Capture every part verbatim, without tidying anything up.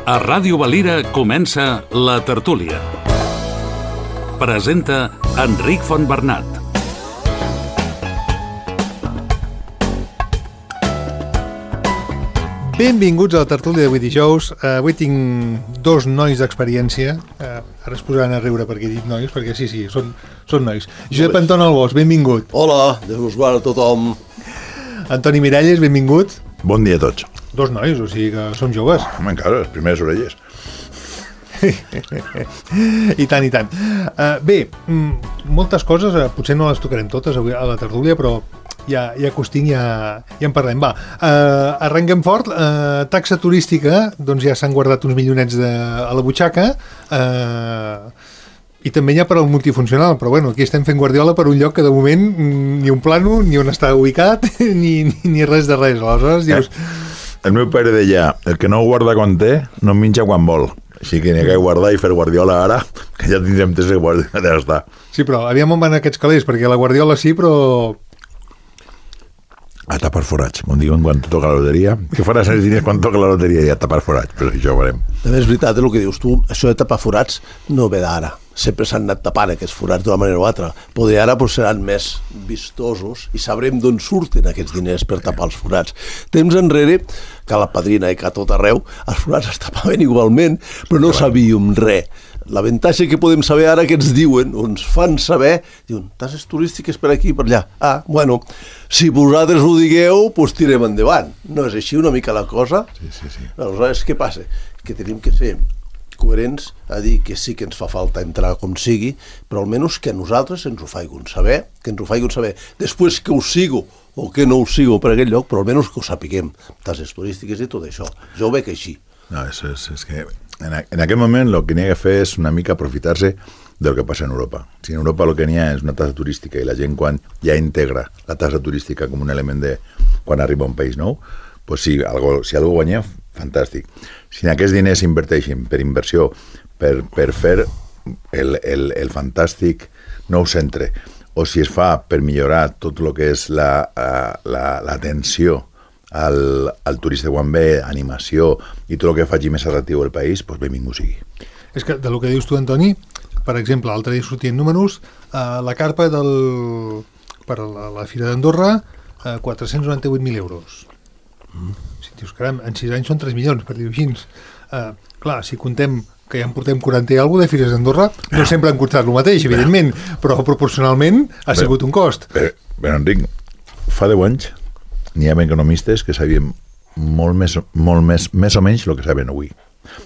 A Ràdio Valira comença La Tertúlia. Presenta Enric Fontbernat. Benvinguts a La Tertúlia d'avui dijous. Uh, avui tinc dos nois d'experiència. Uh, ara es posaran a riure perquè he dit nois, perquè sí, sí, són, són nois. Josep Anton Albós, benvingut. Hola, Déu us guarda a tothom. Antoni Miralles, benvingut. Bon dia a tots. Dos nois, o sigui que som joves. Home, encara, les primeres orelles. I tant, i tant. Uh, bé, mm, moltes coses, uh, potser no les tocarem totes avui a la tertúlia, però ja, ja que us tinc, ja, ja en parlem. Va, uh, arrenquem fort. Uh, taxa turística, doncs ja s'han guardat uns milionets de, a la butxaca, uh, i també hi ha per al multifuncional, però bueno, aquí estem fent Guardiola per un lloc que de moment ni un plano, ni on està ubicat, ni, ni, ni res de res. Aleshores dius... Eh, el meu pare deia, el que no guarda quan té, no menja quan vol. Així que n'hi ha que guardar i fer Guardiola ara, que ja tindrem temps de guardar, ja està. Sí, però aviam on van aquests calés, perquè la Guardiola sí, però... A tapar forats, com diuen quan toca la loteria. Que faràs els diners quan toca la loteria i a tapar forats, però això ho farem. També és veritat el que dius tu, això de tapar forats no ve d'ara. Sempre s'han anat tapant aquests forats d'una manera o altra. Poder ara pues, seran més vistosos i sabrem d'on surten aquests diners per tapar els forats. Temps enrere, que a la Padrina i que a tot arreu, els forats es tapaven igualment, però no sabíem res. L'avantatge que podem saber ara que ens diuen, o ens fan saber, diuen, taxes turístiques per aquí i per allà. Ah, bueno, si vosaltres ho digueu, doncs tirem endavant. No és així una mica la cosa? Sí, sí, sí. Aleshores, què passa? Que tenim que ser coherents a dir que sí que ens fa falta entrar com sigui, però almenys que a nosaltres ens ho faiguen saber, que ens ho faiguen saber. Després que ho sigo o que no ho sigo per aquell lloc, però almenys que ho sapiguem. Taxes turístiques i tot això. Jo ho veig així. No, és, és, és que en, a, en aquest moment el que n'hi ha que fer és una mica aprofitar-se del que passa en Europa. Si en Europa el que n'hi ha és una taxa turística i la gent quan ja integra la taxa turística com un element de quan arriba a un país nou, pues sí, algo, si algú guanya, fantàstic. Si aquests diners s'inverteixen per inversió, per, per fer el, el, el fantàstic nou centre, o si es fa per millorar tot el que és l'atenció al, al turista quan ve, animació i tot el que faci més atractiu el país, doncs benvingut sigui. És que de lo que dius tu, Antoni, per exemple, l'altre dia sortien números, eh, la carpa del, per la, la Fira d'Andorra, eh, quatre-cents noranta-vuit mil euros. Mm. Si dius, caram, en sis anys són tres milions, per dir-ho així. Uh, clar, si contem que ja en portem quaranta i alguna de Fires d'Andorra, no sempre han costat el mateix, evidentment, però proporcionalment ha bé, sigut un cost. Bé, bé, Enric, fa deu anys n'hi ha economistes que sabien molt més, molt més, més o menys el que saben avui.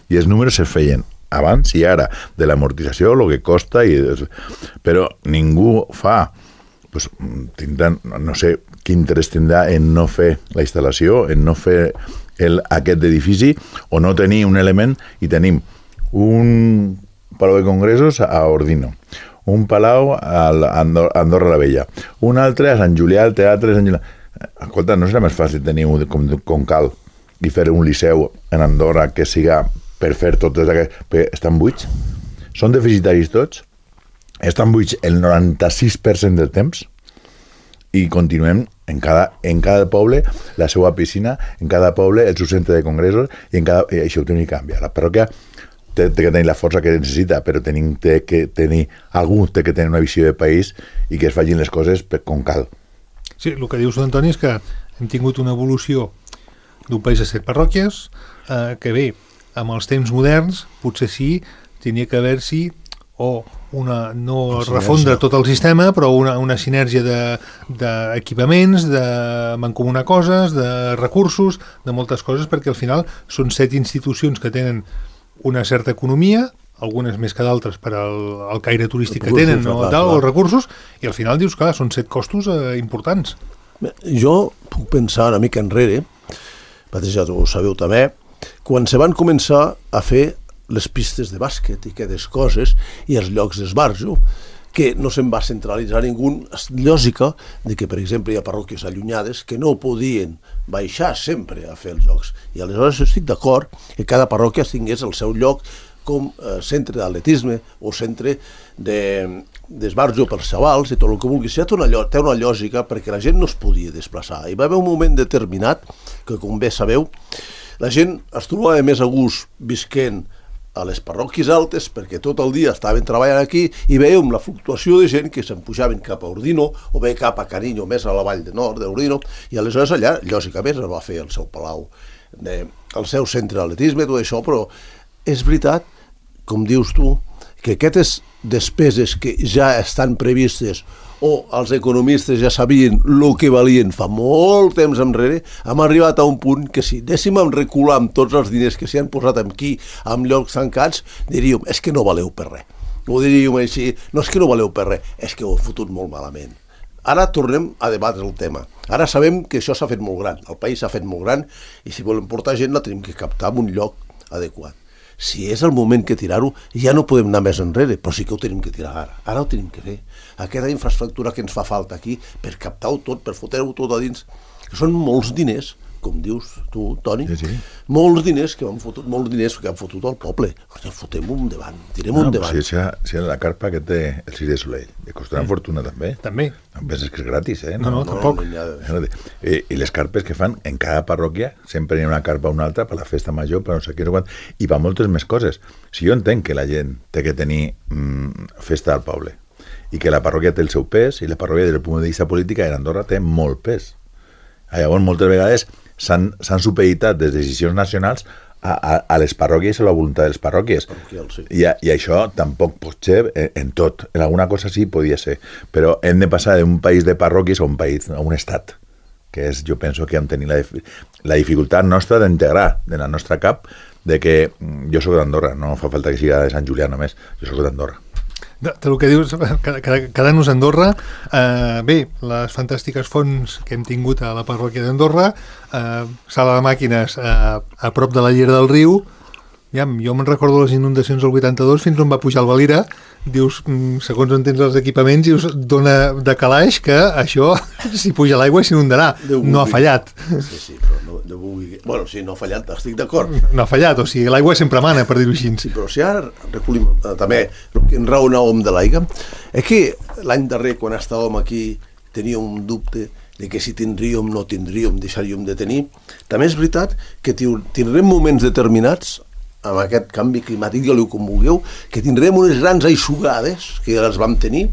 I els números es feien abans i ara, de l'amortització, el que costa, i, però ningú fa... Pues, tindran, no sé quin interès tindrà en no fer la instal·lació, en no fer el, aquest edifici, o no tenir un element, i tenim un palau de congressos a Ordino, un palau a Andorra la Vella, un altre a Sant Julià, al teatre Sant Julià. Escolta, no serà més fàcil tenir un com, com cal i fer un liceu en Andorra que siga per fer totes aquestes... Perquè estan buits? Són deficitaris tots? Estan buits el noranta-sis per cent del temps i continuem en cada, en cada poble la seva piscina, en cada poble el seu centre de congressos i en cada, i això ho tenim que canviar. La parròquia té, té que tenir la força que necessita, però tenim té que tenir, algú té que tenir una visió de país i que es facin les coses per, com cal. Sí, el que dius, Antoni, és que hem tingut una evolució d'un país de set parròquies eh, que bé, amb els temps moderns potser sí, tenia que haver-s'hi o una, no refondre tot el sistema, però una, una sinergia d'equipaments, de, de mancomunar coses, de recursos, de moltes coses, perquè al final són set institucions que tenen una certa economia, algunes més que d'altres per al, al caire turístic que tenen, no, tal, els recursos, i al final dius, clar, són set costos eh, importants. Jo puc pensar una mica enrere, ja ho sabeu també, quan se van començar a fer les pistes de bàsquet i aquestes coses i els llocs d'esbarjo, que no se'n va centralitzar ningú, és lògica de que, per exemple, hi ha parròquies allunyades que no podien baixar sempre a fer els jocs. I aleshores estic d'acord que cada parròquia tingués el seu lloc com eh, centre d'atletisme o centre d'esbarjo de, per xavals i tot el que vulgui. Ja té una, té una lògica perquè la gent no es podia desplaçar. Hi va haver un moment determinat que, com bé sabeu, la gent es trobava més a gust visquent a les parròquies altes, perquè tot el dia estaven treballant aquí i veiem la fluctuació de gent que se'n pujaven cap a Ordino o bé cap a Cariño, més a la vall de nord d'Ordino, i aleshores allà, lògicament, es va fer el seu palau, de, el seu centre d'atletisme, tot això, però és veritat, com dius tu, que aquestes despeses que ja estan previstes o els economistes ja sabien el que valien fa molt temps enrere, hem arribat a un punt que si anéssim a recular amb tots els diners que s'hi han posat aquí, amb llocs tancats, diríem, és que no valeu per res. Ho diríem així, no és que no valeu per res, és que ho he fotut molt malament. Ara tornem a debatre el tema. Ara sabem que això s'ha fet molt gran, el país s'ha fet molt gran, i si volem portar gent la tenim que captar en un lloc adequat. Si és el moment que tirar-ho, ja no podem anar més enrere, però sí que ho tenim que tirar ara. Ara ho tenim que fer. Aquesta infraestructura que ens fa falta aquí, per captar-ho tot, per fotre-ho tot a dins, que són molts diners, com dius tu, Toni, sí, sí. molts diners que han fotut, molts diners que han fotut al poble. Fotem-ho endavant, tirem-ho no, endavant. Si, si, si la carpa que té el Circ de Soleil, li costarà mm. fortuna també. També. No penses que és gratis, eh? No, no, no tampoc. No, no, I, I les carpes que fan en cada parròquia, sempre hi ha una carpa o una altra per la festa major, per no sé què, no quan, i per moltes més coses. Si jo entenc que la gent té que tenir mm, festa al poble, i que la parròquia té el seu pes, i la parròquia des del punt de vista polític en Andorra té molt pes. Llavors, moltes vegades s'han supeditat des de decisions nacionals a, a, a les parròquies o la voluntat de les parròquies. Sí. I, I això tampoc pot ser en, en tot. En alguna cosa sí podia ser. Però hem de passar d'un país de parròquies a un país, a un estat, que és, jo penso que hem tenit la, la dificultat nostra d'integrar en la nostra cap de que jo soc d'Andorra, no fa falta que siga de Sant Julià només, jo soc d'Andorra. De, de lo que dius, quedant-nos a Andorra, eh, bé, les fantàstiques fonts que hem tingut a la parròquia d'Andorra, eh, sala de màquines eh, a prop de la llera del riu, ja, jo me'n recordo les inundacions del vuitanta-dos fins on va pujar el Valira, dius, segons on tens els equipaments, dius, dona de calaix que això, si puja l'aigua, s'inundarà. No ha fallat. Sí, sí, però no, no vull... Bueno, sí, no ha fallat, estic d'acord. No ha fallat, o sigui, l'aigua sempre mana, per dir-ho així. Sí, però si ara recollim eh, també el que enraonàvem de l'aigua, és que l'any darrer, quan estàvem aquí, tenia un dubte de que si tindríem, no tindríem, deixaríem de tenir. També és veritat que tindrem moments determinats amb aquest canvi climàtic, digueu-li com vulgueu, que tindrem unes grans aixugades, que ja les vam tenir,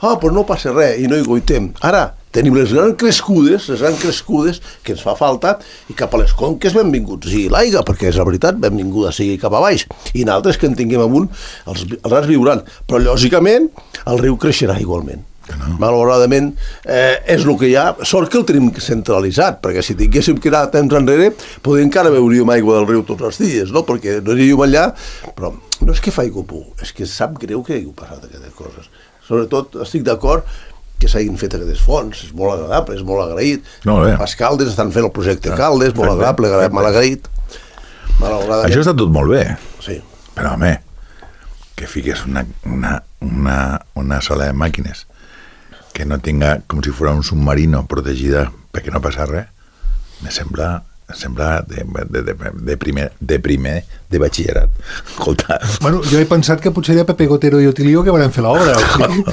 ah, però no passa res, i no hi goitem. Ara, tenim les grans crescudes, les grans crescudes que ens fa falta, i cap a les conques benvinguts sigui l'aigua, perquè és la veritat, benvinguda sigui cap a baix, i nosaltres que en tinguem amunt, els, els rars viuran. Però, lògicament, el riu creixerà igualment. No. Malauradament eh, és el que hi ha, sort que el tenim centralitzat, perquè si tinguéssim que anar temps enrere podríem encara beuríem aigua del riu tots els dies, no? Perquè no aniríem allà, però no és que faci por, és que sap greu que hagi passat aquestes coses. Sobretot estic d'acord que s'hagin fet aquestes fonts, és molt agradable, és molt agraït. No, els Caldes estan fent el projecte ah, Caldes, molt agradable, bé, molt agraït. Malauradament. Això està tot molt bé, sí. Però home, que fiques una, una, una, una sala de màquines que no tinga com si fos un submarino protegida perquè no passa res, me sembla, me sembla de, de, de, de, primer, de primer de batxillerat. Escolta. Bueno, jo he pensat que potser era Pepe Gotero i Otilio que van fer l'obra. O sigui.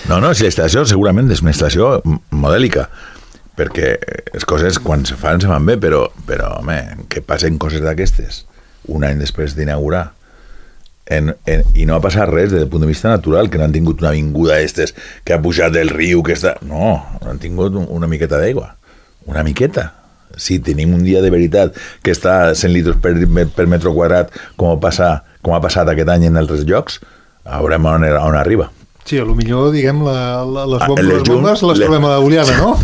No, no, si la instal·lació segurament és una instal·lació modèlica, perquè les coses quan se fan se fan bé, però, però home, que passen coses d'aquestes un any després d'inaugurar En, en, i no ha passat res des del punt de vista natural, que no han tingut una vinguda d'estes que ha pujat del riu, que està... No, han tingut un, una miqueta d'aigua, una miqueta. Si tenim un dia de veritat que està a cent litres per, per metro quadrat, com, passa, com ha passat aquest any en altres llocs, veurem on, on arriba. Sí, a lo millor, diguem, la, la, les, bombes, les, llum, les bombes les trobem a Oliana, no?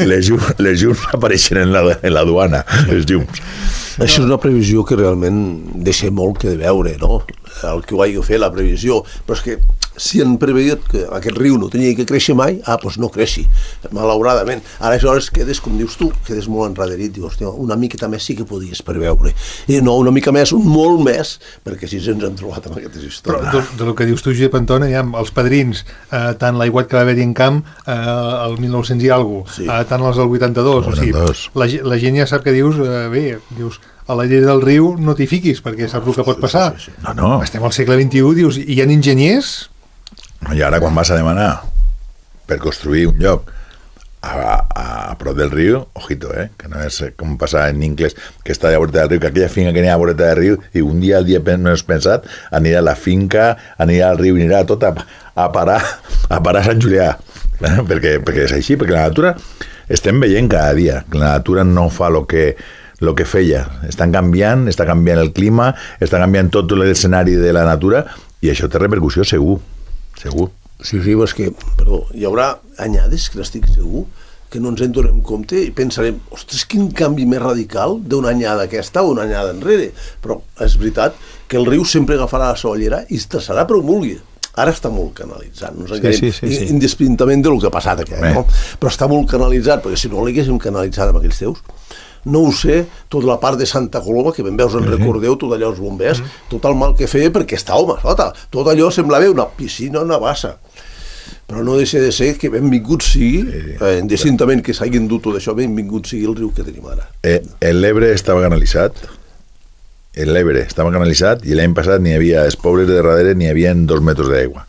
Les llums, les llums apareixen en la, en la duana, les llums. Això és una previsió que realment deixa molt que de veure, no? El que ho hagi fet, la previsió. Però és que si han preveiat que aquest riu no tenia que créixer mai, ah, doncs no creixi, malauradament. Aleshores quedes, com dius tu, quedes molt enrederit, dius, hòstia, una miqueta més sí que podies preveure. I no, una mica més, un molt més, perquè si ens hem trobat amb aquestes històries. Però de, de lo que dius tu, Josep Antona, ja, els padrins, eh, tant l'aiguat que va haver-hi en camp eh, el mil nou-cents i alguna cosa, sí. eh, tant els del vuitanta-dos, o sigui, la, la gent ja sap que dius, eh, bé, dius, a la llera del riu no t'hi fiquis, perquè saps el que pot passar. Sí, sí, sí. No, no. Estem al segle vint-i-u, dius, hi ha enginyers? I ara quan vas a demanar per construir un lloc a, a a prop del riu, ojito, eh, que no és com passar en Incles, que està a la voreta del riu, que aquella finca que n'hi ha a la voreta del riu, i un dia, el dia menys pensat, anirà a la finca, anirà al riu, anirà tot a, a parar a parar a Sant Julià, eh, perquè, perquè és així, perquè la natura estem veient cada dia, que la natura no fa el que el que feia, estan canviant, està canviant el clima, està canviant tot l'escenari de la natura i això té repercussió segur, segur. Sí, sí, és que, perdó, hi haurà anyades que n'estic segur que no ens en donem compte i pensarem, ostres, quin canvi més radical d'una anyada aquesta o una anyada enrere, però és veritat que el riu sempre agafarà la sollera i es traçarà per on vulgui. Ara està molt canalitzat, no ens enganyem, sí, sí, sí, sí. Indistintament del que ha passat aquest, no? Però està molt canalitzat, perquè si no l'haguéssim canalitzat amb aquells teus, no ho sé, tota la part de Santa Coloma, que ben veus en recordeu, tot allò els bombers, tot el mal que feia perquè està home sota, tot allò semblava una piscina, una bassa. Però no deixa de ser que benvingut sigui, eh, indistintament que s'hagin dut tot això, benvingut sigui el riu que tenim ara. Eh, l'Ebre estava canalitzat, l'Ebre estava canalitzat i l'any passat n'hi havia, els pobles de darrere n'hi havia dos metres d'aigua.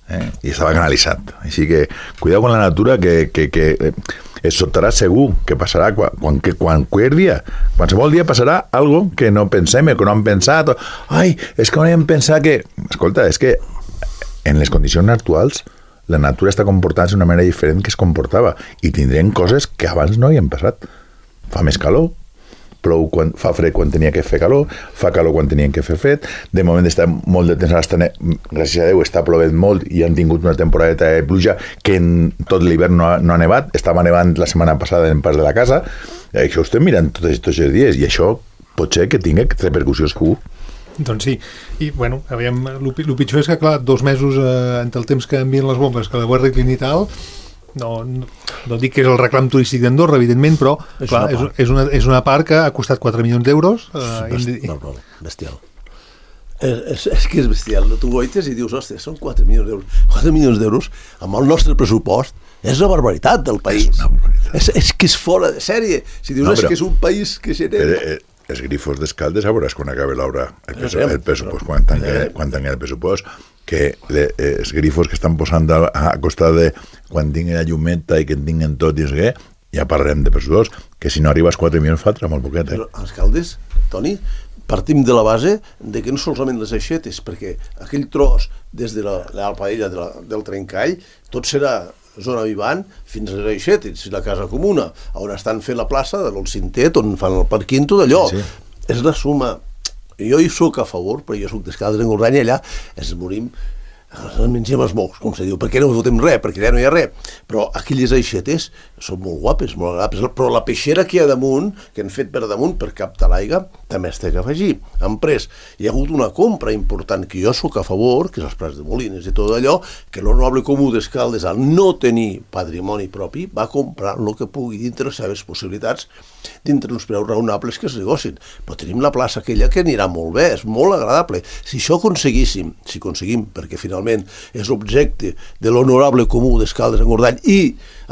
Eh? I estava canalitzat. Així que, cuidado con la natura, que, que, que eh, es soltarà segur, que passarà quan, quan, que, quan qualsevol dia, qualsevol dia passarà algo que no pensem, que no hem pensat, o, ai, és que no hem pensat que... Escolta, és que en les condicions actuals la natura està comportant-se d'una manera diferent que es comportava i tindrem coses que abans no hi han passat. Fa més calor, plou quan, fa fred quan tenia que fer calor, fa calor quan tenien que fer fred, de moment està molt de temps, està, gràcies a Déu està plovent molt i han tingut una temporada de pluja que en tot l'hivern no, no ha nevat, estava nevant la setmana passada en pas de la casa, i això ho estem mirant tots aquests dies i això pot ser que tingui repercussió segur. Doncs sí, i bueno, aviam, el pitjor és que clar, dos mesos eh, entre el temps que envien les bombes que la Guàrdia Clínica i tal, no, no, no dic que és el reclam turístic d'Andorra, evidentment, però és, clar, una és, és, una, és una part que ha costat quatre milions d'euros. Eh, Best, no, no, bestial. És, és, és que és bestial. Tu goites i dius, ostres, són quatre milions d'euros. quatre milions d'euros amb el nostre pressupost és la barbaritat del país. És, barbaritat. és, és que és fora de sèrie. Si dius, no, però, és que és un país que genera... Eh, eh, els grifos d'Escaldes, a veuràs quan acabi l'obra, el, el pressupost, quan tanqui, quan tanqui el pressupost, que le, els grifos que estan posant a, a costat de quan tingui la llumeta i que en tinguin tot i què, ja parlarem de pressupost, que si no arribes quatre milions falta molt poquet. Eh? Però els Caldes, Toni, partim de la base de que no solament les aixetes, perquè aquell tros des de la, la paella de la, del Trencall, tot serà zona vivant fins a les aixetes, la casa comuna, on estan fent la plaça de l'Olcintet, on fan el parquín, tot allò. Sí, sí. És la suma. Jo hi soc a favor, però jo soc d'Escaldes en Gorganya, allà ens morim, ens mengem els mocs, com se diu, perquè no fotem res, perquè allà no hi ha res. Però aquelles aixetes són molt guapes, molt agradables, però la peixera que hi ha damunt, que han fet per damunt per captar l'aigua, també es té que afegir. Han pres, hi ha hagut una compra important que jo soc a favor, que és els Prats de Molines i tot allò, que l'Honorable Comú d'Escaldes, al no tenir patrimoni propi, va comprar el que pugui dintre les seves possibilitats, dintre uns preus raonables que es negocin. Però tenim la plaça aquella que anirà molt bé, és molt agradable. Si això aconseguíssim, si aconseguim, perquè finalment és objecte de l'Honorable Comú d'Escaldes en Gordany i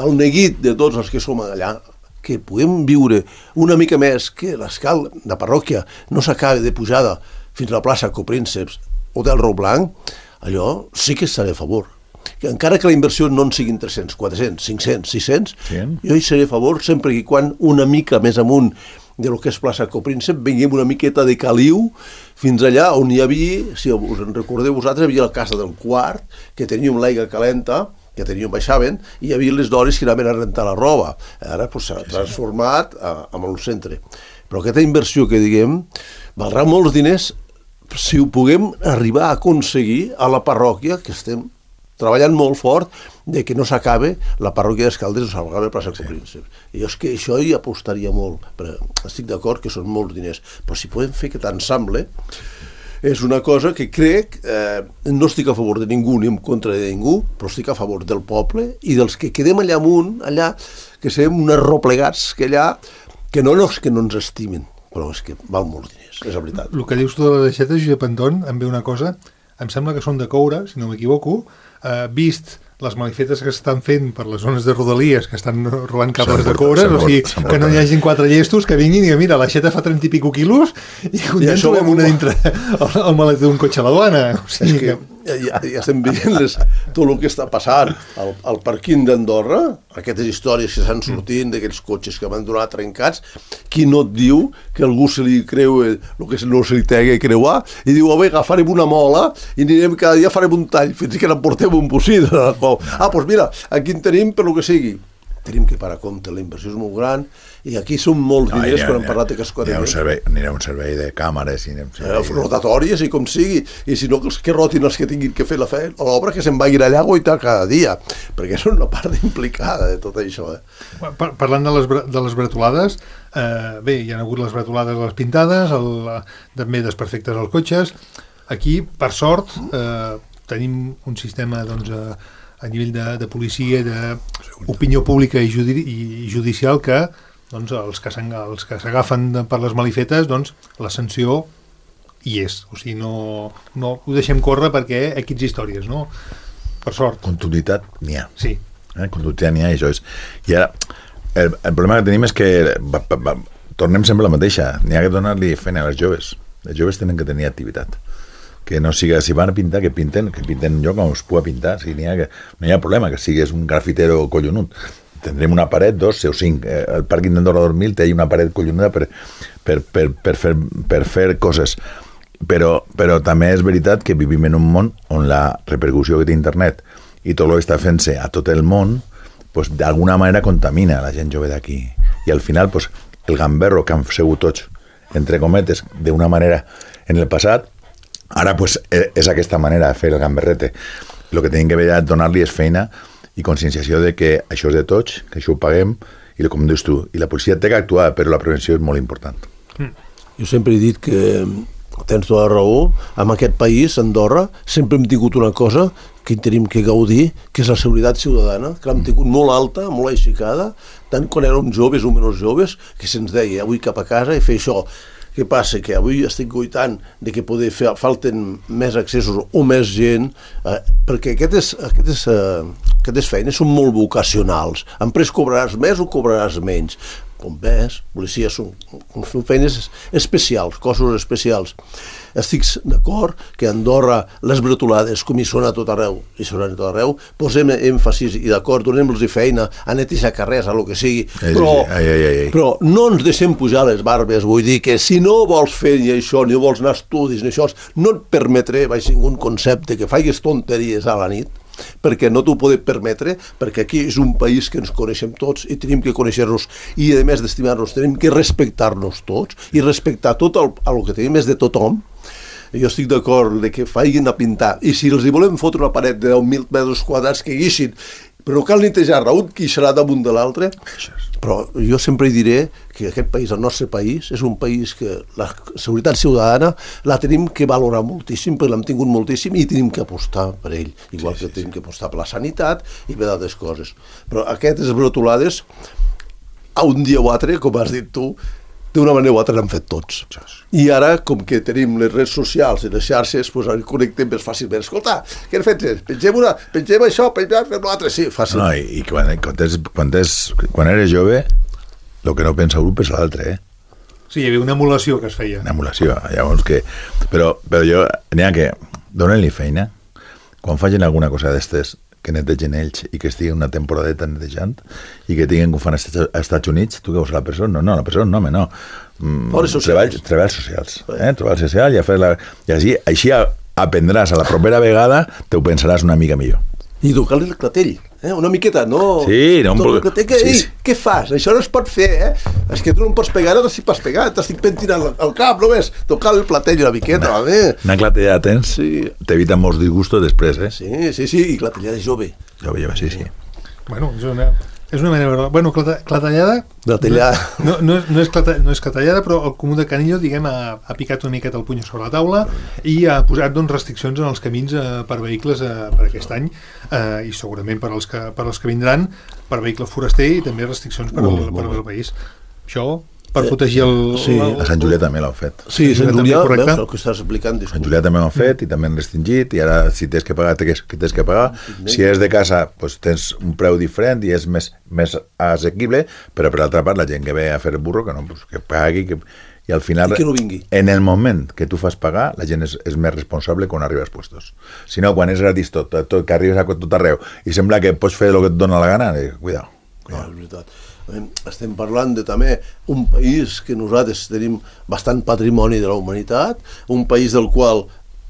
el neguit de tots els que som allà, que puguem viure una mica més que l'escala, la parròquia, no s'acabi de pujada fins a la plaça Coprínceps o del Rou Blanc, allò sí que estaré a favor. Que encara que la inversió no en siguin tres-cents, quatre-cents, cinc-cents, sis-cents, sí. Jo hi seré a favor sempre que quan una mica més amunt de lo que és plaça Copríncep vinguem una miqueta de caliu fins allà on hi havia, si us en recordeu vosaltres, hi havia la casa del Quart, que teníem l'aigua calenta, que teníem, baixaven, i hi havia les dones que anaven a rentar la roba. Ara pues, s'ha transformat a, a el centre. Però aquesta inversió que diguem valdrà molts diners si ho puguem arribar a aconseguir a la parròquia, que estem treballant molt fort de que no s'acabe la parròquia d'Escaldes o s'acabe la plaça Copríncep. I jo és que això hi apostaria molt, però estic d'acord que són molts diners, però si podem fer aquest ensemble és una cosa que crec, eh, no estic a favor de ningú ni en contra de ningú, però estic a favor del poble i dels que quedem allà amunt, allà, que siguem uns replegats que allà, que no, no és que no ens estimin, però és que val molts diners, és la veritat. El que dius tu de les aixetes, Josep Anton, em ve una cosa, em sembla que són de coure, si no m'equivoco, eh, vist les malifetes que s'estan fent per les zones de Rodalies, que estan robant cables de coure, o sigui, que no hi hagin quatre llestos que vinguin i que mira, l'aixeta fa trenta i pico quilos i un dia trobem una dintre el, el maleter d'un cotxe a la duana. O sigui és que, ja, ja estem veient les, tot el que està passant al, al parquín d'Andorra, aquestes històries que s'han sortint d'aquests cotxes que van donar trencats, qui no et diu que algú se li creu el que no se li té que creuar i diu, a veure, farem una mola i anirem cada dia farem un tall fins que n'emportem un bocí. Ah, doncs mira, aquí en tenim per lo que sigui. Tenim que parar compte, la inversió és molt gran i aquí són molts No, diners hi ha- quan hem hi ha- parlat de N'hi ha cascodella. un servei, n'hi ha un servei de càmeres i anem- Eh, rotatòries i com sigui, i si no que els que rotin els que tinguin que fer la fe, l'obra que se'n vagin allà a guaitar cada dia, perquè és una part implicada de tot això. Eh? Par parlant de les, bre- de les bretolades, eh, bé, hi ha hagut les bretolades a les pintades, el, també desperfectes als cotxes. Aquí, per sort, eh, tenim un sistema doncs, a, a nivell de, de policia, d'opinió pública i, judi i judicial que doncs, els que s'en- els que s'agafen per les malifetes, doncs, la sanció hi és. O sigui, no, no ho deixem córrer perquè equips històries, no? Per sort. Conductivitat n'hi ha. Sí. Eh? Conductivitat n'hi ha i això és... I ara, el, el problema que tenim és que va, va, va, tornem sempre a la mateixa. N'hi ha que donar-li feina a les joves. Les joves tenen que tenir activitat. Que no siga, si van a pintar, que pinten, que pinten jo com es pugui pintar. Si n'hi ha que, no hi ha problema que sigues un grafitero collonut. Tindrem una paret, dos, o cinc. Eh, el pàrquing d'Andorra dos mil té una paret collonuda per, per, per, per, fer, per fer coses. Però, però també és veritat que vivim en un món on la repercussió que té internet i tot el que està fent-se a tot el món pues, d'alguna manera contamina la gent jove d'aquí. I al final pues, el gamberro que han segut tots, entre cometes, d'una manera en el passat, ara pues, és aquesta manera de fer el gamberrete. El que tenim que veure és donar-li és feina i conscienciació de que això és de tots, que això ho paguem, i com dius tu, i la policia té que actuar, però la prevenció és molt important. Jo sempre he dit que tens tota la raó, en aquest país, Andorra, sempre hem tingut una cosa que tenim que gaudir, que és la seguretat ciutadana, que l'hem tingut molt alta, molt aixecada, tant quan érem joves o menys joves, que se'ns deia, avui cap a casa i fer això. Què passa? Que avui estic goitant de que poder fer, falten més accessos o més gent, eh, perquè aquestes, aquestes, eh, aquestes feines són molt vocacionals. En pres cobraràs més o cobraràs menys. Bombers, policies, són, són feines especials, cossos especials. Estic d'acord que a Andorra les bretolades, com hi són a tot arreu, hi són a tot arreu, posem èmfasis i d'acord, donem-los feina a netejar carrers, a lo que sigui, però, ai, ai, ai. però no ens deixem pujar les barbes, vull dir que si no vols fer ni això, ni vols anar a estudis, ni això, no et permetré, vaig un concepte, que faigues tonteries a la nit, perquè no t'ho podem permetre, perquè aquí és un país que ens coneixem tots i tenim que conèixer-nos i a més d'estimar-nos tenim que respectar-nos tots i respectar tot el, el que tenim és de tothom. Jo estic d'acord de que faiguin a pintar i si els hi volem fotre una paret de deu mil metres quadrats que guixin, però cal netejar-la, un quixarà damunt de l'altre. Però jo sempre diré que aquest país, el nostre país, és un país que la seguretat ciutadana la tenim que valorar moltíssim, perquè l'hem tingut moltíssim i tenim que apostar per ell, igual sí, que sí, tenim sí. que apostar per la sanitat i per d'altres coses. Però aquestes brotolades, a un dia o altre, com has dit tu, d'una manera o altra l'han fet tots. I ara, com que tenim les redes socials i les xarxes, doncs ara connectem més fàcilment. Escolta, què has fet? Pengem, una, pengem això, pengem l'altre, sí, fàcil. No, i, i quan, quan, és, quan, és, quan eres jove, el que no pensa un és l'altre, eh? Sí, hi havia una emulació que es feia. Una emulació, llavors que... Però, però jo, n'hi ha que donen-li feina, quan facin alguna cosa d'estes, que netegen ells i que estigui una temporadeta netejant i que tinguin que ho fan als Estats Units, tu que vols a la persona? No, no, la persona no, home, no. Mm, treballs, treballs socials. Eh? Treballs socials i, a fer la... I així, així aprendràs a la propera vegada, te ho pensaràs una mica millor. I tocar-li el clatell, eh? Una miqueta, no... Sí, no... Un clatell, que, sí, ei, sí. Què fas? Això no es pot fer, eh? És que tu no em pots pegar, no t'estic pas pegant, t'estic pentinant el cap, només tocar el clatell una miqueta, una, va bé. Una clatellada tens, sí. T'evita molts disgustos després, eh? Sí, sí, sí, i clatellada jove. Jove, jove, sí, sí. Bueno, és una... És una manera... Bueno, clata, clatellada... Clatellada. No, no, no, és clata, no és clatellada, però el comú de Canillo, diguem, ha, ha picat una miqueta el puny sobre la taula i ha posat doncs, restriccions en els camins eh, per vehicles eh, per aquest any eh, i segurament per als, que, per als que vindran, per vehicle foraster i també restriccions per, al, per al país. Això... per protegir el... Sí. A Sant Julià també l'han fet. Sí, Sant Julià, veus el que estàs explicant. Sant Julià també l'han fet i també han restringit i ara si tens que pagar, tens que, tens que pagar. Si és de casa, pues, tens un preu diferent i és més, més assequible, però per altra part la gent que ve a fer el burro, que no, pues, que pagui, que, i al final, I que no vingui. En el moment que tu fas pagar, la gent és, és més responsable quan arriba als puestos. Si no, quan és gratis tot, tot, que arribes a tot arreu i sembla que pots fer el que et dona la gana, eh, cuidao. No, és veritat. Estem parlant de també un país que nosaltres tenim bastant patrimoni de la humanitat, un país del qual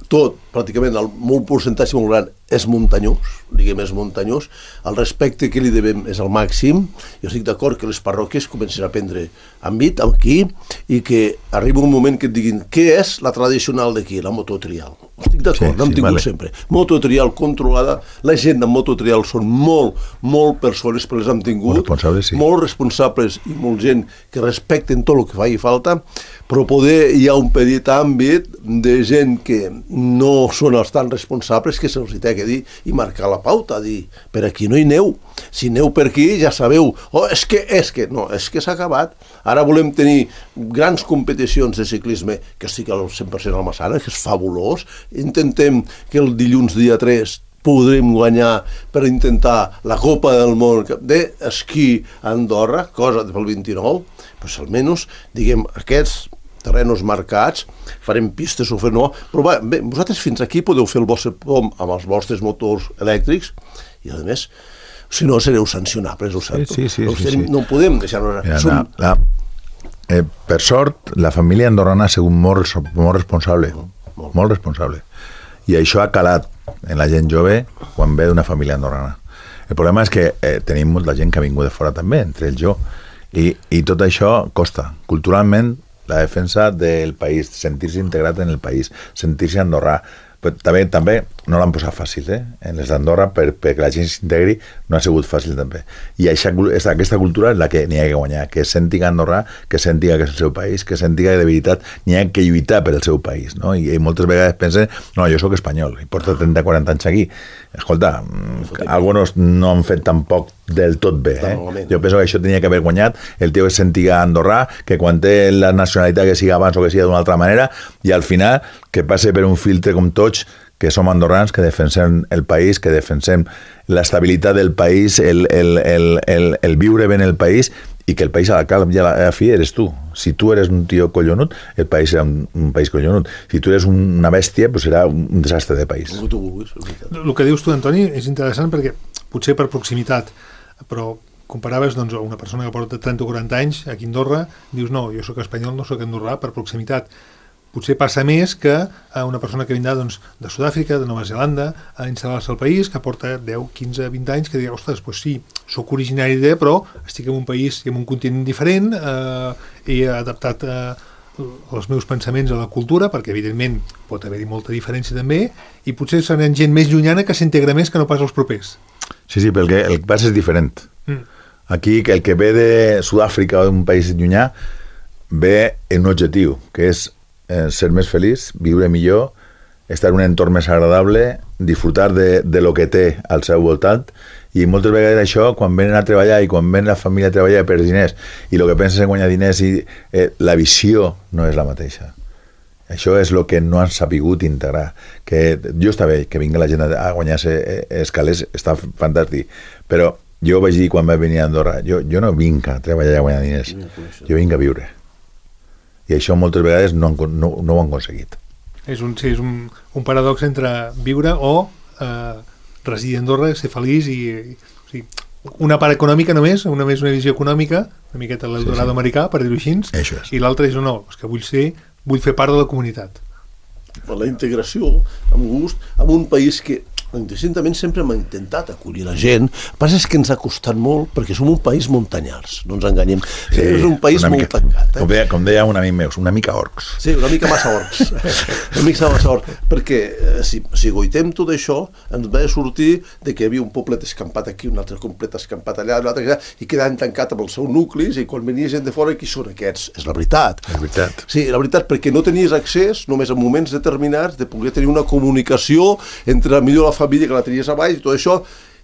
tot, pràcticament, el molt percentatge molt gran és muntanyós, diguem, és muntanyós, el respecte que li devem és el màxim. Jo estic d'acord que les parròquies comencen a prendre àmbit aquí i que arriba un moment que et diguin què és la tradicional d'aquí, la mototrial. Estic d'acord, sí, n'hem sí, tingut vale. sempre. Mototrial controlada, la gent de mototrial són molt, molt persones, però les hem tingut, Molt responsables, sí. molt responsables i molt gent que respecten tot el que faci falta, però poder hi ha un petit àmbit de gent que no són els tan responsables que se'ls té que dir i marcar la pauta, dir, per aquí no hi neu, si neu per aquí ja sabeu, oh, és que, és que, no, és que s'ha acabat, ara volem tenir grans competicions de ciclisme, que estic al cent per cent al Massana, que és fabulós, intentem que el dilluns dia tres podrem guanyar per intentar la Copa del Món d'esquí a Andorra, cosa pel vint-i-nou, doncs almenys, diguem, aquests terrenos marcats, farem pistes o fer no, però va, bé, vosaltres fins aquí podeu fer el vostre pom amb els vostres motors elèctrics i a més, si no sereu sancionables, ho sento. Sí, sí, sí, no, sí, sí. no podem deixar-nos... Mira, Som... la, la, eh, per sort, la família andorrana ha sigut molt, molt responsable, molt. molt responsable. I això ha calat en la gent jove quan ve d'una família andorrana. El problema és que eh, tenim molta gent que ha vingut de fora també, entre ells jo, i, i tot això costa. Culturalment, la defensa del país, sentir-se integrat en el país, sentir-se andorrà. Però també, també no l'han posat fàcil, eh? En les d'Andorra, per, perquè la gent s'integri, no ha sigut fàcil també. I això, aquesta cultura és la que n'hi ha que guanyar, que sentiga Andorra, que sentiga que és el seu país, que sentiga que de veritat n'hi ha que lluitar per el seu país, no? I, i moltes vegades pensen, no, jo sóc espanyol, i porto trenta o quaranta anys aquí. Escolta, alguns no han fet tampoc del tot bé, eh? Jo penso que això tenia que haver guanyat el tio que sentiga andorrà, que quan té la nacionalitat que siga abans o que siga d'una altra manera, i al final que passe per un filtre com tots, que som andorrans, que defensem el país, que defensem l'estabilitat del país, el, el, el, el, el viure bé en el país, i que el país a la cap i a la fi eres tu. Si tu eres un tio collonut, el país serà un, un país collonut. Si tu eres una bèstia, pues serà un desastre de país. El que dius tu, Antoni, és interessant perquè potser per proximitat, però comparaves doncs, una persona que porta trenta o quaranta anys aquí a Andorra, dius no, jo sóc espanyol, no sóc andorrà, per proximitat. Potser passa més que a una persona que vindrà doncs, de Sud-àfrica, de Nova Zelanda, a instal·lar-se al país, que porta deu, quinze, vint anys, que digui, ostres, doncs sí, sóc originari de, però estic en un país i en un continent diferent, eh, he adaptat eh, els meus pensaments a la cultura, perquè evidentment pot haver-hi molta diferència també, i potser seran gent més llunyana que s'integra més que no pas els propers. Sí, sí, perquè el que passa és diferent. Mm. Aquí, el que ve de Sud-àfrica o d'un país llunyà, ve en un objectiu, que és eh, ser més feliç, viure millor, estar en un entorn més agradable, disfrutar de, de lo que té al seu voltant, i moltes vegades això, quan venen a treballar i quan ven la família a treballar per diners, i el que penses en guanyar diners, i eh, la visió no és la mateixa. Això és el que no han sapigut integrar. Que jo està bé que vingui la gent a guanyar-se escales, està fantàstic, però jo vaig dir quan vaig venir a Andorra, jo, jo no vinc a treballar i a guanyar diners, jo vinc a viure. I això moltes vegades no, han, no, no ho han aconseguit. És un, sí, és un, un paradox entre viure o eh, residir a Andorra, ser feliç i, i o sigui, una part econòmica només, una més una visió econòmica, una miqueta l'Eldorado sí, sí. americà, per dir-ho així, és. I l'altre és no, és que vull ser, vull fer part de la comunitat. La integració, amb gust, en un país que indistintament sempre hem intentat acollir la gent. El que passa és que ens ha costat molt perquè som un país muntanyars, no ens enganyem. Sí, és un país mica, molt tancat. Eh? Com, deia, com deia un amic meu, una mica orcs. Sí, una mica massa orcs. una mica massa orcs. Perquè eh, si, si goitem tot això, ens va sortir de que hi havia un poblet escampat aquí, un altre complet escampat allà, un altre allà, i quedant tancat amb els seus nuclis, i quan venia gent de fora, qui són aquests? És la veritat. És veritat. Sí, la veritat, perquè no tenies accés, només en moments determinats, de poder tenir una comunicació entre millor la família que la tenies a baix i tot això,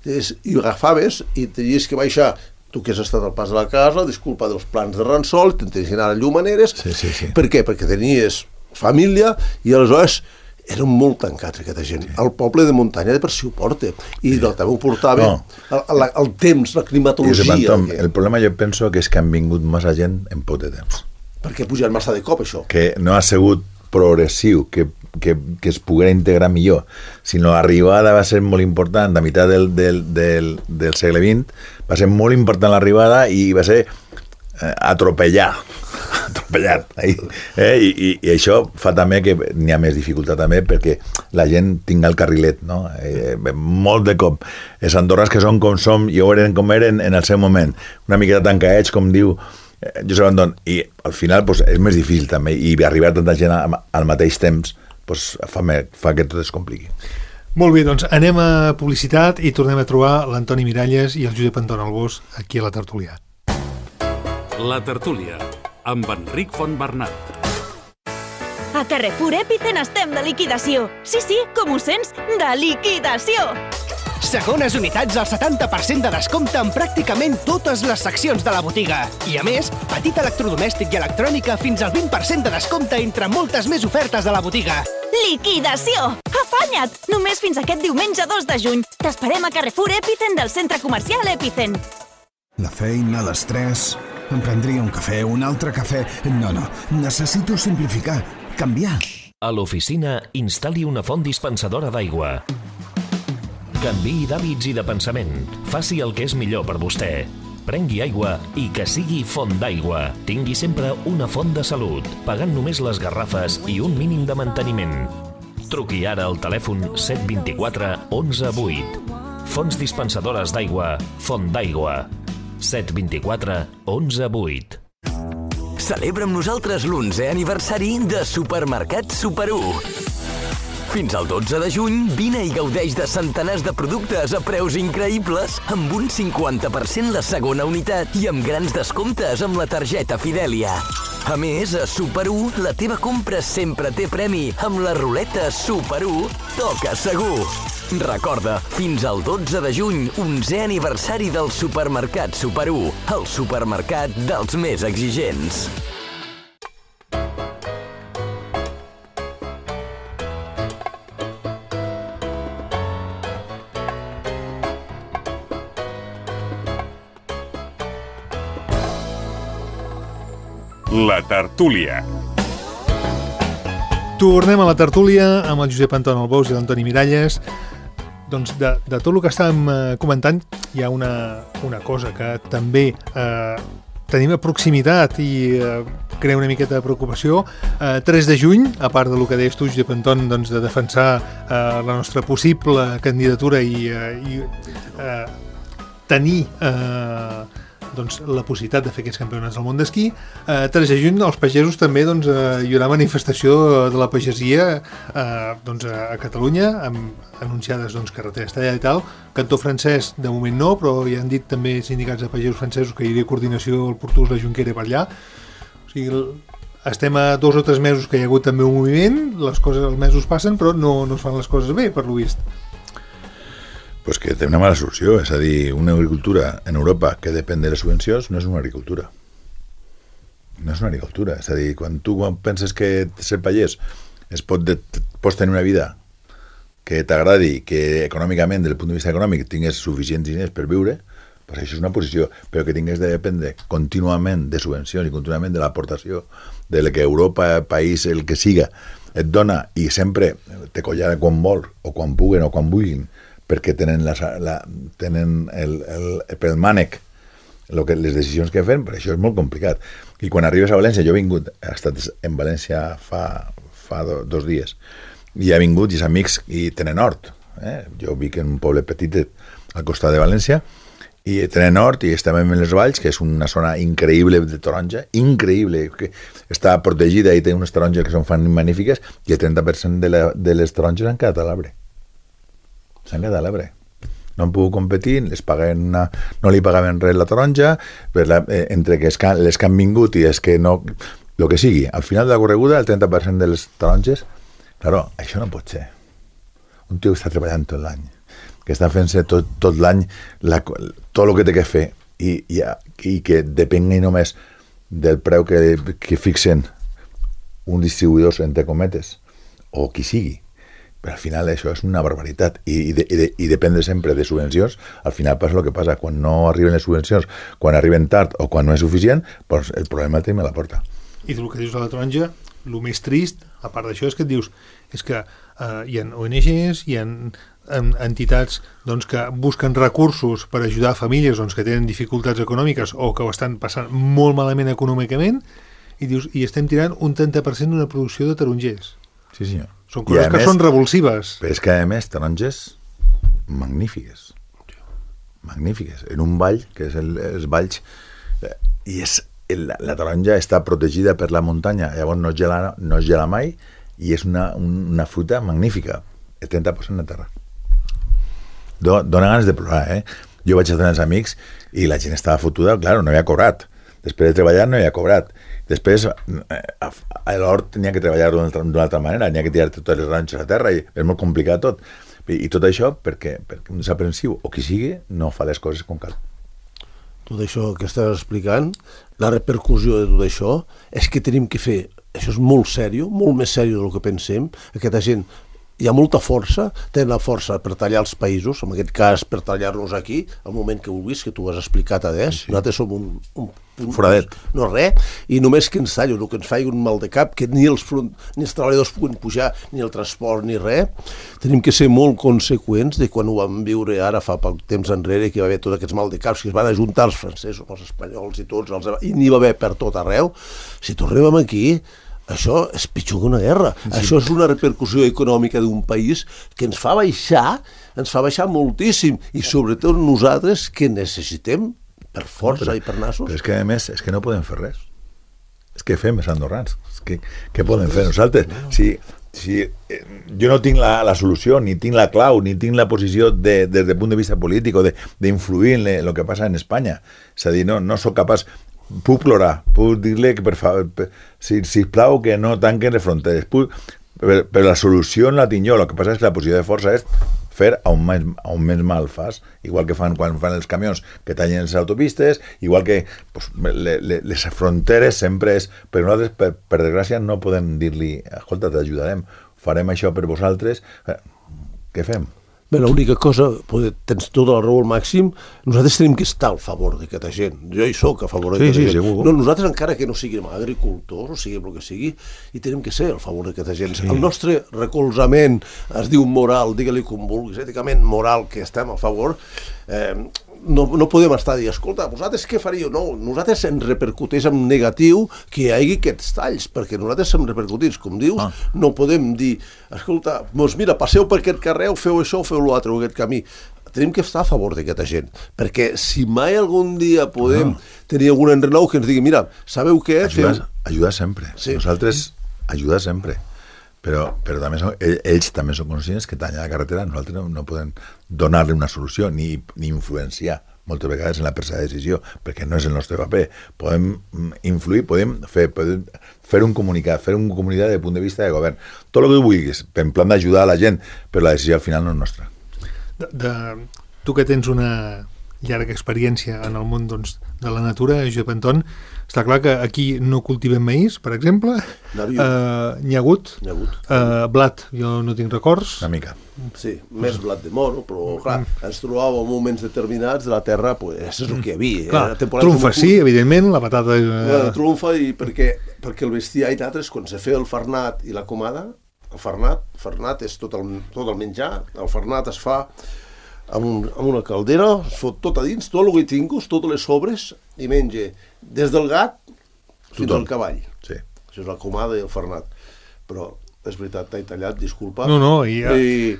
és, i agafaves i tenies que baixar, tu que has estat al pas de la casa, disculpa dels plans de Ransol, tenies que anar a Llumaneres. Sí, sí, sí. Per què? Perquè tenies família i aleshores eren molt tancats aquesta gent. Sí. El poble de muntanya de per si ho porta i sí. no, també ho portava no. el, el, el temps, la climatologia. Tom, el problema jo penso que és que han vingut massa gent en poc de temps. perquè puja massa de cop, això. Que no ha sigut progressiu, que, que, que es poguera integrar millor, sinó l'arribada va ser molt important, a meitat del, del, del, del segle vint, va ser molt important l'arribada i va ser eh, atropellar, atropellat. Eh? I, i, I això fa també que n'hi ha més dificultat també perquè la gent tinga el carrilet, no? Eh, molt de cop. Les andorres que són com som i eren com eren en el seu moment, una miqueta tancadets, com diu Josep Anton, i al final pues, és més difícil també, i arribar a tanta gent al mateix temps pues, fa, fa que tot es compliqui. Molt bé, doncs anem a publicitat i tornem a trobar l'Antoni Miralles i el Josep Anton Albós aquí a la tertúlia. La tertúlia, amb Enric Fontbernat. A Carrefour Epicen estem de liquidació. Sí, sí, com ho sents, de liquidació. Segones unitats al setanta per cent de descompte en pràcticament totes les seccions de la botiga. I a més, petit electrodomèstic i electrònica fins al vint per cent de descompte entre moltes més ofertes de la botiga. Liquidació! Afanya't! Només fins aquest diumenge dos de juny. T'esperem a Carrefour Epicen del centre comercial Epicen. La feina, l'estrès... Em prendria un cafè, un altre cafè... No, no, necessito simplificar, canviar. A l'oficina, instal·li una font dispensadora d'aigua. Canviï d'hàbits i de pensament. Faci el que és millor per vostè. Prengui aigua i que sigui font d'aigua. Tingui sempre una font de salut, pagant només les garrafes i un mínim de manteniment. Truqui ara al telèfon set dos quatre onze vuit. Fonts dispensadores d'aigua, Font d'Aigua. set dos quatre onze vuit. Celebra amb nosaltres l'onzè aniversari de Supermercat Super u. Fins al dotze de juny, vine i gaudeix de centenars de productes a preus increïbles, amb un cinquanta per cent la segona unitat i amb grans descomptes amb la targeta Fidèlia. A més, a Super u, la teva compra sempre té premi amb la ruleta Super u Toca Segur. Recorda, fins al dotze de juny, onzè aniversari del Supermercat Super u, el supermercat dels més exigents. La tertúlia. Tornem a la tertúlia amb el Josep Anton Albós i l'Antoni Miralles. Doncs de, de tot el que estàvem eh, comentant hi ha una, una cosa que també eh, tenim a proximitat i eh, crea una miqueta de preocupació. Eh, tres de juny, a part del que deies tu, Josep Anton, doncs, de defensar eh, la nostra possible candidatura i, eh, i eh, tenir eh, doncs, la possibilitat de fer aquests campionats del món d'esquí. Eh, tres de juny, els pagesos també doncs, eh, hi haurà manifestació de la pagesia eh, doncs, a Catalunya, amb anunciades doncs, carreteres tallades i tal. Cantó francès, de moment no, però ja han dit també sindicats de pagesos francesos que hi hauria coordinació al Portús, la Junquera per allà. O sigui, estem a dos o tres mesos que hi ha hagut també un moviment, les coses, els mesos passen, però no, no es fan les coses bé, per lo vist. Pues que té una mala solució, és a dir, una agricultura en Europa que depèn de les subvencions no és una agricultura. No és una agricultura, és a dir, quan tu penses que ser pagès es pot de, pots tenir una vida que t'agradi, que econòmicament, des del punt de vista econòmic, tingués suficients diners per viure, pues això és una posició, però que tingués de dependre contínuament de subvencions i contínuament de l'aportació de que Europa, país, el que siga, et dona i sempre te collara quan vol, o quan puguen, o quan vulguin, perquè tenen, la, la, tenen el, el, pel mànec lo que, les decisions que fem, però això és molt complicat. I quan arribes a València, jo he vingut, he estat en València fa, fa do, dos dies, i he vingut i els amics i tenen hort. Eh? Jo vic en un poble petit al costat de València, i tenen hort i estem en les Valls, que és una zona increïble de taronja, increïble, que està protegida i té unes taronges que són fan magnífiques, i el trenta per cent de, la, de les taronges han quedat a l'arbre. S'han quedat a l'arbre. No han pogut competir, les paguen una, no li pagaven res la taronja, per la, eh, entre que que les que han vingut i és que no, el que sigui, al final de la correguda, el trenta per cent de les taronges, claro, això no pot ser. Un tio que està treballant tot l'any, que està fent-se tot, tot l'any la, tot el que té que fer i, i, i que depengui només del preu que, que fixen un distribuïdor, entre cometes, o qui sigui. Però al final això és una barbaritat i, i, de, i, de, i depèn sempre de subvencions. Al final passa el que passa, quan no arriben les subvencions, quan arriben tard o quan no és suficient, doncs el problema el tenim a la porta. I el que dius de la taronja, el més trist, a part d'això, és que et dius és que eh, hi ha O N Ges, hi ha entitats doncs, que busquen recursos per ajudar famílies doncs, que tenen dificultats econòmiques o que ho estan passant molt malament econòmicament i dius, i estem tirant un trenta per cent d'una producció de tarongers. Sí, senyor. Són coses que més, són revulsives. Però és que, a més, taronges magnífiques. Magnífiques. En un vall, que és el, els valls, eh, i és, la, la taronja està protegida per la muntanya, llavors no es gela, no es gela mai, i és una, una fruta magnífica. El trenta per cent de terra. Do, dona ganes de plorar, eh? Jo vaig a tenir els amics i la gent estava fotuda, clar, no havia cobrat. Després de treballar no havia cobrat. Després a l'hort tenia que treballar d'una altra, d'una altra manera, tenia que tirar totes les ranxes a terra i és molt complicat tot. I, i tot això perquè, perquè un desaprensiu o qui sigui no fa les coses com cal. Tot això que estàs explicant, la repercussió de tot això és que tenim que fer, això és molt sèrio, molt més sèrio del que pensem, aquesta gent hi ha molta força, tenen la força per tallar els països, en aquest cas per tallar-nos aquí, al moment que vulguis, que tu has explicat a des, sí. Nosaltres som un, un, un foradet, no res, i només que ens tallin, que ens faci un mal de cap, que ni els, front, ni els treballadors puguin pujar, ni el transport, ni res, tenim que ser molt conseqüents de quan ho vam viure ara fa poc temps enrere, que hi va haver tots aquests mal de caps, que es van ajuntar els francesos, els espanyols i tots, els, i n'hi va haver per tot arreu. Si tornem aquí, això és pitjor que una guerra. Sí. Això és una repercussió econòmica d'un país que ens fa baixar, ens fa baixar moltíssim, i sobretot nosaltres que necessitem per força no, però, i per nassos. Però és que a més, és que no podem fer res. És que fem els andorrans. És que, què podem fer nosaltres? No. Si, si eh, jo no tinc la, la solució, ni tinc la clau, ni tinc la posició de, des del punt de vista polític o d'influir en el que passa en Espanya. És a dir, no, no sóc capaç. Puc plorar, puc dir-li que per favor, per, si, si plau que no tanquen les fronteres, puc, però, però la solució no la tinc jo, el que passa és que la posició de força és fer on més, on més mal fas, igual que fan quan fan els camions que tallen les autopistes, igual que pues, le, le, les fronteres sempre és, però nosaltres per, per desgràcia no podem dir-li, escolta, t'ajudarem, farem això per vosaltres, què fem? Bé, l'única cosa, tens tota la raó al màxim, nosaltres tenim que estar al favor d'aquesta gent. Jo hi soc a favor d'aquesta sí, sí, gent. Segur. No, nosaltres encara que no siguem agricultors, o siguem el que sigui, i tenim que ser al favor d'aquesta gent. Sí. El nostre recolzament es diu moral, digue-li com vulguis, èticament moral, que estem a favor, eh, no, no podem estar a dir, escolta, vosaltres què faríeu? No, nosaltres ens repercuteix en negatiu que hi hagi aquests talls, perquè nosaltres som repercutits, com dius, ah. no podem dir, escolta, doncs mira, passeu per aquest carrer, feu això, feu l'altre, aquest camí. Tenim que estar a favor d'aquesta gent, perquè si mai algun dia podem ah. tenir algun enrenou que ens digui, mira, sabeu què? Ajudar, feu... ajudar sempre, sí. Nosaltres ajudar sempre. Però, però també són, ells també són conscients que tallar la carretera nosaltres no, no podem donar-li una solució ni, ni influenciar moltes vegades en la presa de decisió, perquè no és el nostre paper. Podem influir, podem fer, podem fer un comunicat, fer un comunicat de punt de vista de govern. Tot el que tu vulguis, en plan d'ajudar a la gent, però la decisió al final no és nostra. De, de, tu que tens una llarga experiència en el món doncs, de la natura, Josep Anton, està clar que aquí no cultivem maïs, per exemple, uh, n'hi ha hagut, uh, blat, jo no tinc records. Una mica. Sí, més blat de moro, però clar, ens trobàvem en moments determinats de la terra, pues, és el que hi havia. Clar, trumfa sí, evidentment, la patata... Eh... Trumfa, i perquè, perquè el bestiar i nosaltres, quan se feia el farnat i la comada, el farnat, el farnat és tot el, tot el menjar, el farnat es fa amb, un, amb una caldera, es fot tot a dins, tot el que tinguis, totes les sobres, i menja des del gat fins Tothom. Al cavall. Sí. Això és la comada i el farnat. Però, és veritat, t'he tallat, disculpa. No, no, i... Ja... I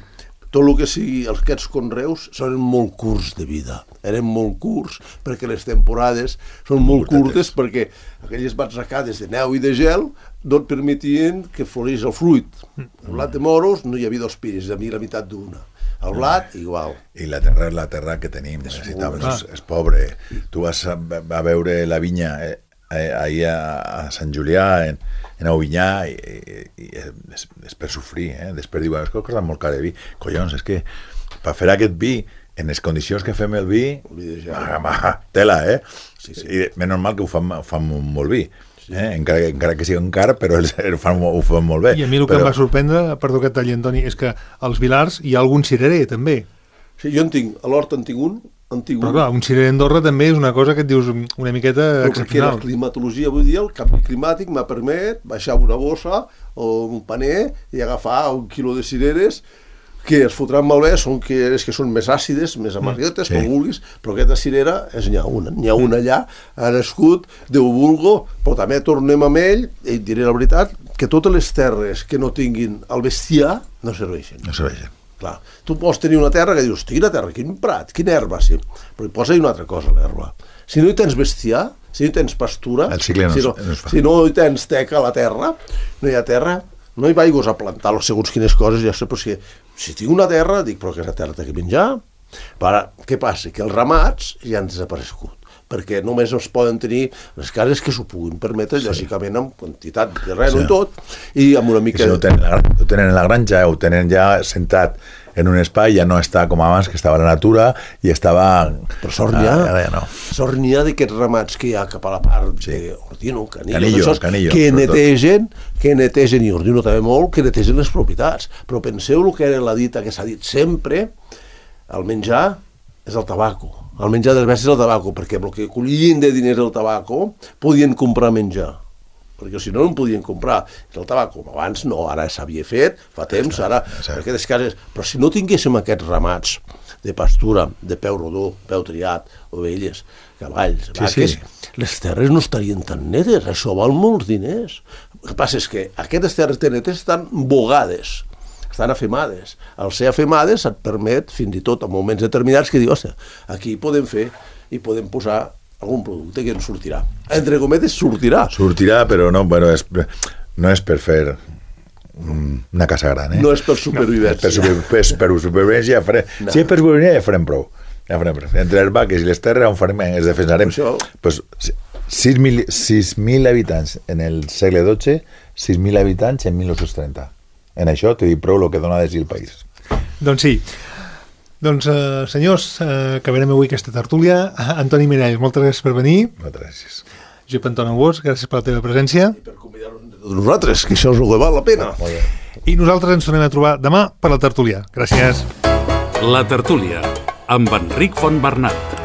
tot el que sigui, aquests conreus són molt curts de vida. Eren molt curts perquè les temporades són molt curtes perquè aquelles batzecades de neu i de gel no et permetien que florís el fruit. El blat de moros no hi havia dos piris, hi havia la meitat d'una. El blat, igual. I la terra és la terra que tenim, és, és, és pobre. Tu vas a, a veure la vinya eh, eh, ahir a, a Sant Julià, en, en Aubinyà, i, i, i és, és per sofrir, eh? Després diuen, és que costa molt car de vi. Collons, és que per fer aquest vi, en les condicions que fem el vi, ah, ma, tela, eh? Sí, sí. I menys mal que ho fan, ho fan molt vi. Sí. Eh? Encara, encara que sigui un car, però ells ho fan, ho fan molt bé. I a mi el que però... em va sorprendre, perdó que et talli, Antoni, és que als Vilars hi ha algun cirerer, també. Sí, jo en tinc, a l'hort en tinc un, han tingut... Però clar, un cirerer a Andorra també és una cosa que et dius una miqueta Però perquè excepcional. la climatologia, vull dir, el canvi climàtic m'ha permet baixar una bossa o un paner i agafar un quilo de cireres que es fotran malbé, són cireres que són més àcides, més amarguetes, sí. com vulguis, però aquesta cirera és n'hi ha una. N'hi ha una allà, ha nascut, Déu vulgo, però també tornem amb ell, i et diré la veritat, que totes les terres que no tinguin el bestiar no serveixen. No serveixen. Clar, tu pots tenir una terra que dius, quina terra, quin prat, quina herba, sí, però hi posa una altra cosa, l'herba. Si no hi tens bestiar, si no hi tens pastura, el cicle no, si, no, no es fa. si no hi tens teca a la terra, no hi ha terra, no hi vaigos a plantar segons quines coses, ja sé, però si, si tinc una terra, dic, però aquesta terra té que menjar. Però, què passa? Que els ramats ja han desaparegut, perquè només es poden tenir les cases que s'ho puguin permetre, sí. lògicament amb quantitat de reno sí. i tot, i amb una mica... I si no ho tenen, la, ho tenen en la granja, ho tenen ja sentat en un espai, ja no està com abans, que estava a la natura i estava... Però sort n'hi ha, ah, ja no. sort n'hi ha d'aquests ramats que hi ha cap a la part sí. d'Ordino, Canillo, Canillo, d'aixòs, Canillo, que netegen, que netegen, i Ordino també molt, que netegen les propietats. Però penseu el que era la dita que s'ha dit sempre, el menjar és el tabaco. El menjar dels bèsties és el tabaco, perquè el que collien de diners del tabaco podien comprar menjar. Perquè si no, no en podien comprar. El tabac, com abans, no, ara s'havia fet, fa temps, ara, perquè les cases... Però si no tinguéssim aquests ramats de pastura, de peu rodó, peu triat, ovelles, cavalls, vaques, sí, sí. les terres no estarien tan netes, això val molts diners. El que passa és que aquestes terres tan netes estan bogades, estan afemades. Al ser afemades et permet, fins i tot en moments determinats, que dius, aquí podem fer i podem posar algun producte que ens sortirà. Entre cometes, sortirà. Sortirà, però no, bueno, és, no és per fer una casa gran, eh? No és per supervivència. Per, super, per, per supervivència ja farem... No. Si és per supervivència ja farem prou. Ja farem prou. Entre les vaques i les terres on farem, ens defensarem. Això... Pues, sis mil habitants en el segle dotze, sis mil habitants en mil nou-cents trenta. En això t'he dit prou el que dona de si el país. Doncs sí. Doncs, eh, senyors, eh, acabarem avui aquesta tertúlia. Antoni Miralles, moltes gràcies per venir. Moltes gràcies. Josep Anton Anguós, gràcies per la teva presència. I per convidar-nos de tots nosaltres, que això és el que val la pena. I nosaltres ens tornem a trobar demà per la tertúlia. Gràcies. La tertúlia, amb Enric Fontbernat.